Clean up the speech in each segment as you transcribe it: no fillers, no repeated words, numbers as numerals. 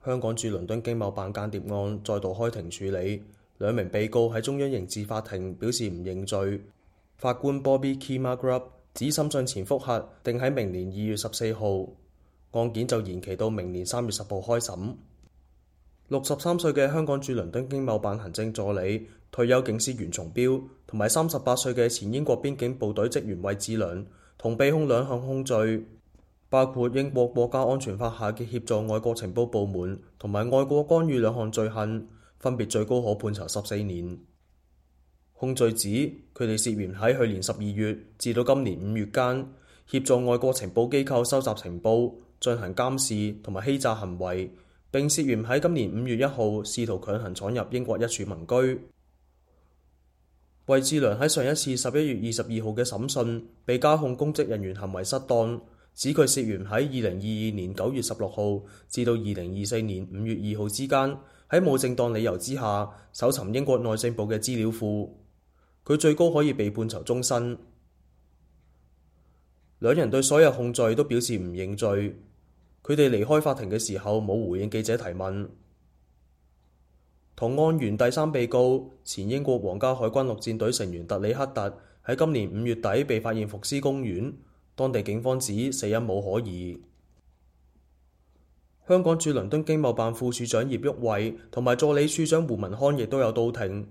香港駐倫敦經貿辦間諜案再度開庭處理，兩名被告喺中央刑事法庭表示唔認罪。法官 Bobby Kimagrub 指審訊前覆核定喺明年2月14號，案件就延期到明年3月10號開審。63歲嘅香港駐倫敦經貿辦行政助理、退休警司袁松標同埋38歲嘅前英國邊境部隊職員韋志良，同被控兩項控罪，包括英國國家安全法下嘅協助外國情報部門同埋外國干預兩項罪行，分別最高可判囚14年。控罪指佢哋涉嫌喺去年12月至到今年5月間，協助外國情報機構收集情報、進行監視同埋欺詐行為，並涉嫌喺今年5月1號試圖強行闖入英國一處民居。韋志良喺上一次11月22號嘅審訊被加控公職人員行為失當，指佢涉嫌喺2022年9月16號至到2024年5月2號之間，喺冇正當理由之下搜尋英國內政部嘅資料庫。佢最高可以被判囚終身。兩人對所有控罪都表示唔認罪。佢哋離開法庭嘅時候冇回應記者提問。同案源第三被告前英國皇家海軍陸戰隊成員特里克特喺今年5月底被發現伏屍公園，當地警方指死因冇可疑。香港駐倫敦經貿辦副處長葉旭偉同埋助理處長胡文康亦都有到庭，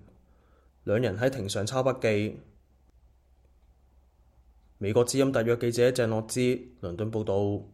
兩人喺庭上抄筆記。美國之音特約記者鄭樂之倫敦報道。